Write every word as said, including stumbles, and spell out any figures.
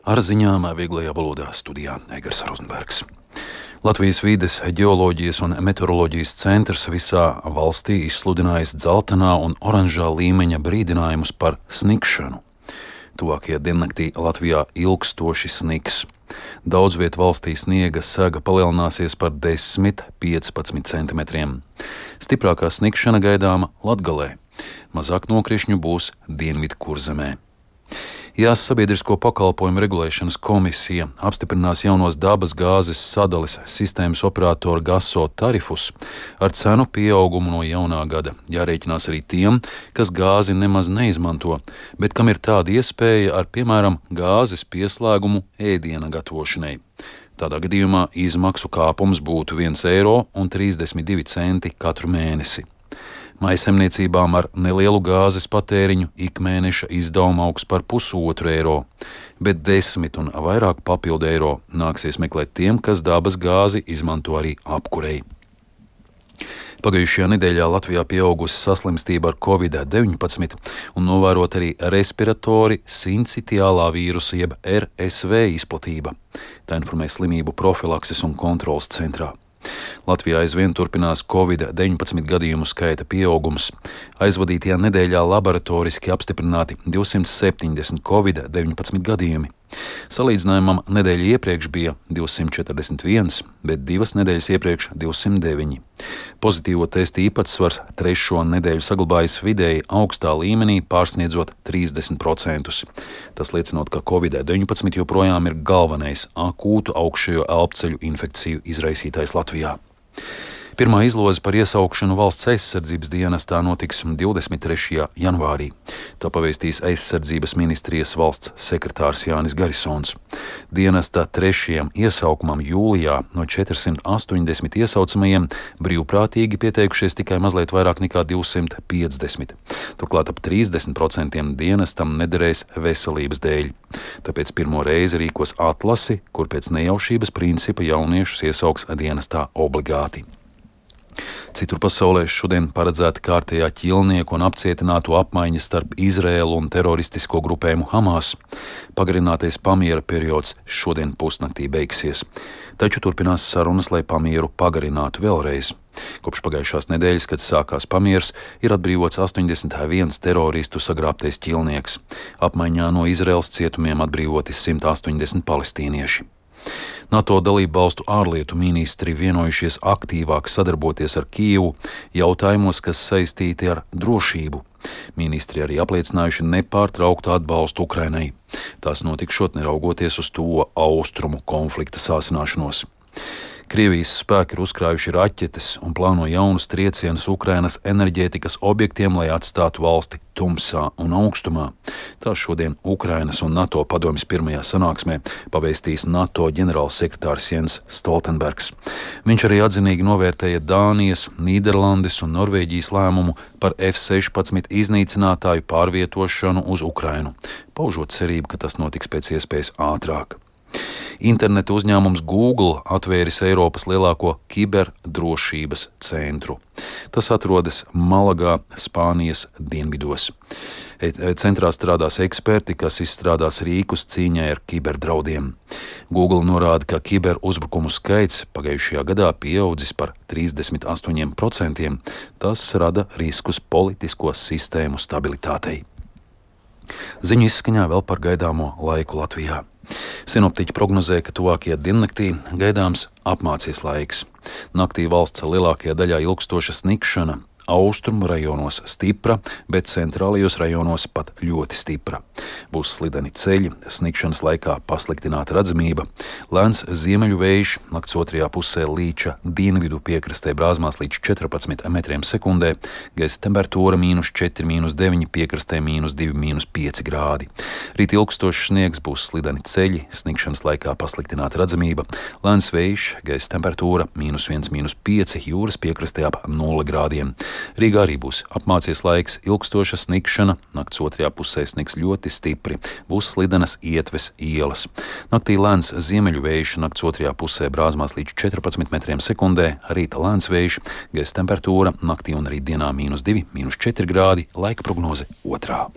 Ar ziņām vieglajā valodā studijā Egars Rozenbergs. Latvijas vides, ģeoloģijas un meteoroloģijas centrs visā valstī izsludinājis dzeltenā un oranžā līmeņa brīdinājumus par sniegšanu. Tuvākajā diennaktī Latvijā ilgstoši snigs. Daudz viet valstī sniega sega palielināsies par desmit līdz piecpadsmit centimetriem. Stiprākā sniegšana gaidāma Latgalē. Mazāk nokrišņu būs Dienvidkurzemē. Jās sabiedrisko pakalpojumu regulēšanas komisija apstiprinās jaunos dabas gāzes sadales sistēmas operātora Gaso tarifus ar cenu pieaugumu no jaunā gada. Jārēķinās arī tiem, kas gāzi nemaz neizmanto, bet kam ir tāda iespēja ar, piemēram, gāzes pieslēgumu ēdiena gatavošanai. Tādā gadījumā izmaksu kāpums būtu viens eiro un trīsdesmit divi centi katru mēnesi. Maisaimniecībām ar nelielu gāzes patēriņu ikmēneša izdevuma augs par pusotru eiro, bet desmit un vairāk papildu eiro nāksies meklēt tiem, kas dabas gāzi izmanto arī apkurei. Pagājušajā nedēļā Latvijā pieaugusi saslimstība ar covid deviņpadsmit un novērot arī respiratori sincitiālā vīrusa jeb R S V izplatība. Tā informē slimību profilakses un kontroles centrā. Latvijā aizvien turpinās covid deviņpadsmit gadījumu skaita pieaugums. Aizvadītajā nedēļā laboratoriski apstiprināti divsimt septiņdesmit covid deviņpadsmit gadījumi. Salīdzinājumam nedēļa iepriekš bija divsimt četrdesmit viens, bet divas nedēļas iepriekš divsimt deviņi. Pozitīvo testu īpatsvars trešo nedēļu saglabājas vidēji augstā līmenī, pārsniedzot trīsdesmit procentus. Tas liecinot, ka covid deviņpadsmit joprojām ir galvenais akūtu augšējo elpceļu infekciju izraisītājs Latvijā. Pirmā izloze par iesaukšanu valsts aizsardzības dienestā notiks divdesmit trešajā janvārī. To pavēstīs aizsardzības ministrijas valsts sekretārs Jānis Garisons. Dienesta trešajam iesaukumam jūlijā no četrsimt astoņdesmit iesaucamajiem brīvprātīgi pieteikušies tikai mazliet vairāk nekā divsimt piecdesmit. Turklāt ap trīsdesmit procentiem dienestam nederēs veselības dēļ. Tāpēc pirmo reizi rīkos atlasi, kur pēc nejaušības principa jauniešus iesauks dienestā obligāti. Citur pasaulē šodien paredzēta kārtējā ķilnieku un apcietināto apmaiņa starp Izraēlu un teroristisko grupējumu Hamas. Pagarinātais pamiera periods šodien pusnaktī beigsies, taču turpinās sarunas, lai pamieru pagarinātu vēlreiz. Kopš pagājušās nedēļas, kad sākās pamiers, ir atbrīvots astoņdesmit viens teroristu sagrābtais ķilnieks. Apmaiņā no Izraēlas cietumiem atbrīvoti simt astoņdesmit palestīnieši. NATO dalību valstu ārlietu ministri vienojušies aktīvāk sadarboties ar Kijevu jautājumos, kas saistīti ar drošību. Ministri arī apliecinājuši nepārtrauktu atbalstu Ukrainai. Tas notikšot neraugoties uz to austrumu konflikta sāsināšanos. Krievijas spēki ir uzkrājuši raķetes un plāno jaunus triecienus Ukrainas enerģētikas objektiem, lai atstātu valsti tumsā un augstumā. Tā šodien Ukrainas un NATO padomjas pirmajā sanāksmē pavēstīs NATO ģenerālsekretārs Jens Stoltenbergs. Viņš arī atzinīgi novērtēja Dānijas, Nīderlandes un Norvēģijas lēmumu par F sešpadsmit iznīcinātāju pārvietošanu uz Ukrainu, paužot cerību, ka tas notiks pēc iespējas ātrāk. Interneta uzņēmums Google atvēris Eiropas lielāko kiberdrošības centru. Tas atrodas Malagā, Spānijas dienvidos. Centrā strādās eksperti, kas izstrādās rīkus cīņai ar kiberdraudiem. Google norāda, ka kiberuzbrukumu skaits pagājušajā gadā pieaudzis par trīsdesmit astoņiem procentiem. Tas rada riskus politisko sistēmu stabilitātei. Ziņu izskaņā vēl par gaidāmo laiku Latvijā. Sinoptiķi prognozē, ka tuvākajā diennaktī gaidāms apmācies laiks. Naktī valsts lielākajā daļā ilgstoša sniegšana, austrumu rajonos stipra, bet centrālajos rajonos pat ļoti stipra. Būs slideni ceļi, sniegšanas laikā pasliktināta redzamība, lēns ziemeļu vējš, nakts otrajā pusē Līča dienvidu piekrastē brāzmās līdz četrpadsmit metriem sekundē, gaisa temperatūra mīnus četri, mīnus deviņi, piekrastē mīnus divi, mīnus pieci grādi. Rīt ilgstošs sniegs, būs slideni ceļi, sniegšanas laikā pasliktināta redzamība, lēns vējš, gaisa temperatūra mīnus viens, mīnus pieci, jūras piekrastē ap nulle grādiem. Rīgā arī būs apmācies laiks, ilgstoša sniegšana, nakts otrajā pusē sniegs ļoti stipri, būs slidenas ietves ielas. Naktī lēns ziemeļu vējš, nakts otrajā pusē brāzmās līdz četrpadsmit metriem sekundē, rīta lēns vējš, gaisa temperatūra naktī un rīt dienā mīnus divi, mīnus četri grādi, laika prognoze otrā.